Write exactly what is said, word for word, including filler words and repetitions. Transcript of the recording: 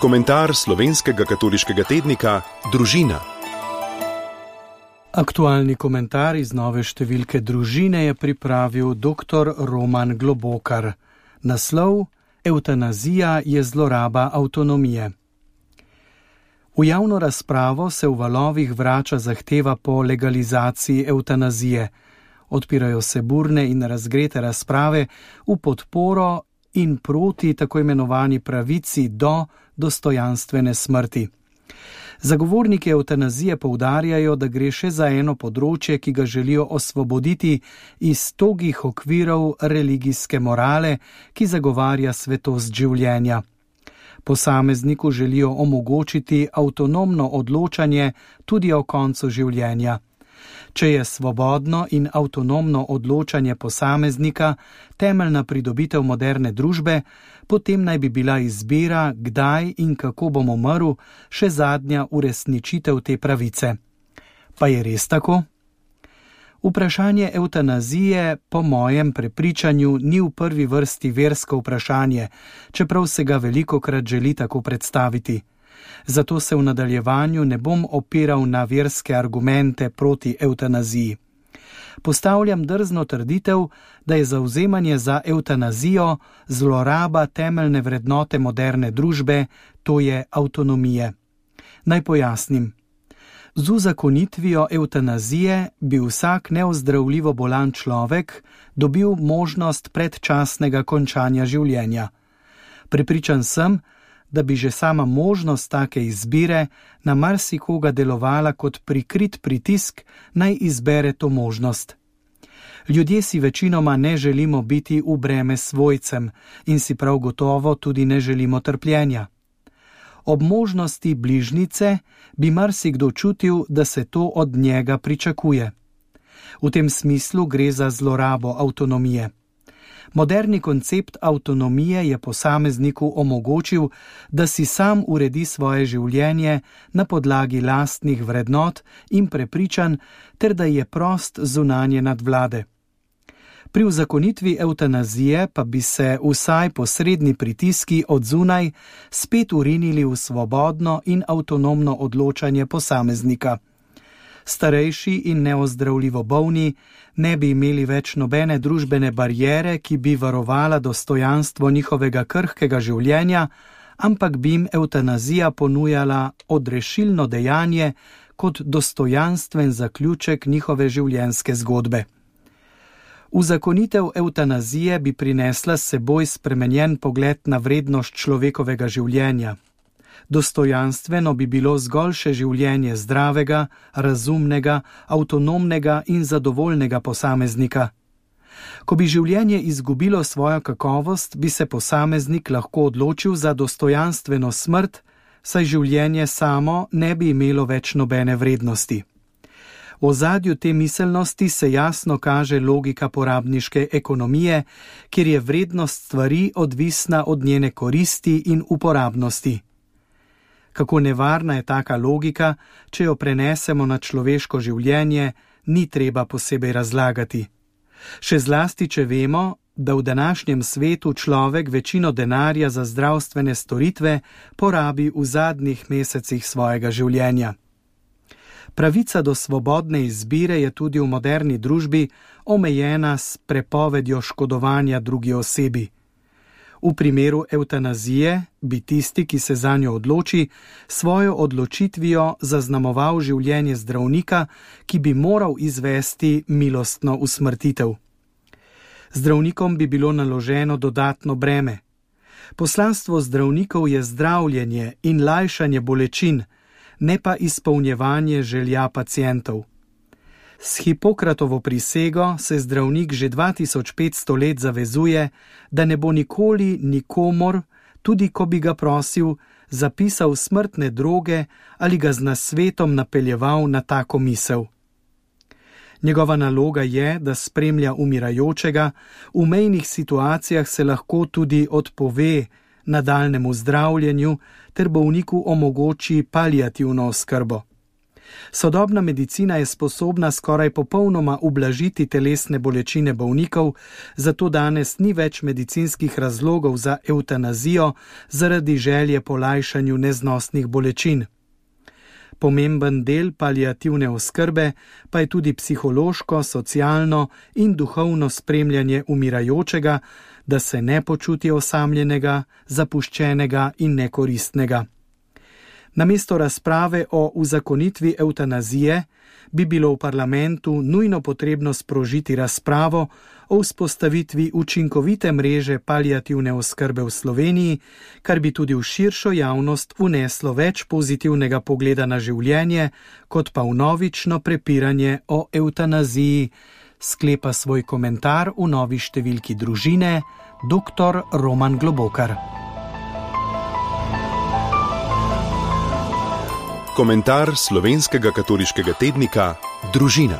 Komentar slovenskega katoliškega tednika Družina. Aktualni komentar iz nove številke Družine je pripravil dr. Roman Globokar. Naslov: Evtanazija je zloraba avtonomije. V javno razpravo se v valovih vrača zahteva po legalizaciji evtanazije. Odpirajo se burne in razgrete razprave v podporo in proti tako imenovani pravici do dostojanstvene smrti. Zagovorniki evtanazije poudarjajo, da gre še za eno področje, ki ga želijo osvoboditi iz togih okvirov religijske morale, ki zagovarja svetost življenja. Posamezniku želijo omogočiti avtonomno odločanje tudi o koncu življenja. Če je svobodno in avtonomno odločanje posameznika temeljna pridobitev moderne družbe, potem naj bi bila izbira, kdaj in kako bom umrl, še zadnja uresničitev te pravice. Pa je res tako? Vprašanje evtanazije po mojem prepričanju ni v prvi vrsti versko vprašanje, čeprav se ga velikokrat želi tako predstaviti. Zato se v nadaljevanju ne bom opiral na verske argumente proti evtanaziji. Postavljam drzno trditev, da je zavzemanje za evtanazijo zloraba temeljne vrednote moderne družbe, to je avtonomije. Naj pojasnim. Z uzakonitvijo evtanazije bi vsak neozdravljivo bolan človek dobil možnost predčasnega končanja življenja. Prepričan sem, da bi že sama možnost take izbire na marsikoga delovala kot prikrit pritisk, naj izbere to možnost. Ljudje si večinoma ne želimo biti v breme svojcem in si prav gotovo tudi ne želimo trpljenja. Ob možnosti bližnjice bi marsikdo čutil, da se to od njega pričakuje. V tem smislu gre za zlorabo avtonomije. Moderni koncept avtonomije je posamezniku omogočil, da si sam uredi svoje življenje na podlagi lastnih vrednot in prepričanj, ter da je prost zunanje nadvlade. Pri uzakonitvi evtanazije pa bi se vsaj posredni pritiski od zunaj spet urinili v svobodno in avtonomno odločanje posameznika. Starejši in neozdravljivo bolni ne bi imeli več nobene družbene bariere, ki bi varovala dostojanstvo njihovega krhkega življenja, ampak bi jim evtanazija ponujala odrešilno dejanje kot dostojanstven zaključek njihove življenjske zgodbe. Uzakonitev evtanazije bi prinesla s seboj spremenjen pogled na vrednost človekovega življenja. Dostojanstveno bi bilo zgolj še življenje zdravega, razumnega, avtonomnega in zadovoljnega posameznika. Ko bi življenje izgubilo svojo kakovost, bi se posameznik lahko odločil za dostojanstveno smrt, saj življenje samo ne bi imelo več nobene vrednosti. V ozadju te miselnosti se jasno kaže logika porabniške ekonomije, kjer je vrednost stvari odvisna od njene koristi in uporabnosti. Kako nevarna je taka logika, če jo prenesemo na človeško življenje, ni treba posebej razlagati. Še zlasti, če vemo, da v današnjem svetu človek večino denarja za zdravstvene storitve porabi v zadnjih mesecih svojega življenja. Pravica do svobodne izbire je tudi v moderni družbi omejena s prepovedjo škodovanja drugi osebi. V primeru evtanazije bi tisti, ki se zanjo odloči, svojo odločitvijo zaznamoval življenje zdravnika, ki bi moral izvesti milostno usmrtitev. Zdravnikom bi bilo naloženo dodatno breme. Poslanstvo zdravnikov je zdravljenje in lajšanje bolečin, ne pa izpolnjevanje želja pacientov. S Hipokratovo prisego se zdravnik že dva tisoč petsto let zavezuje, da ne bo nikoli nikomor, tudi ko bi ga prosil, zapisal smrtne droge ali ga z nasvetom napeljeval na tako misel. Njegova naloga je, da spremlja umirajočega, v mejnih situacijah se lahko tudi odpove nadaljnemu zdravljenju ter bolniku omogoči paliativno oskrbo. Sodobna medicina je sposobna skoraj popolnoma ublažiti telesne bolečine bolnikov, zato danes ni več medicinskih razlogov za evtanazijo zaradi želje po lajšanju neznosnih bolečin. Pomemben del paliativne oskrbe pa je tudi psihološko, socialno in duhovno spremljanje umirajočega, da se ne počuti osamljenega, zapuščenega in nekoristnega. Namesto razprave o uzakonitvi evtanazije bi bilo v parlamentu nujno potrebno sprožiti razpravo o vzpostavitvi učinkovite mreže paliativne oskrbe v Sloveniji, kar bi tudi v širšo javnost vneslo več pozitivnega pogleda na življenje, kot pa vnovično prepiranje o evtanaziji, sklepa svoj komentar v novi številki Družine dr. Roman Globokar. Komentar slovenskega katoliškega tednika Družina.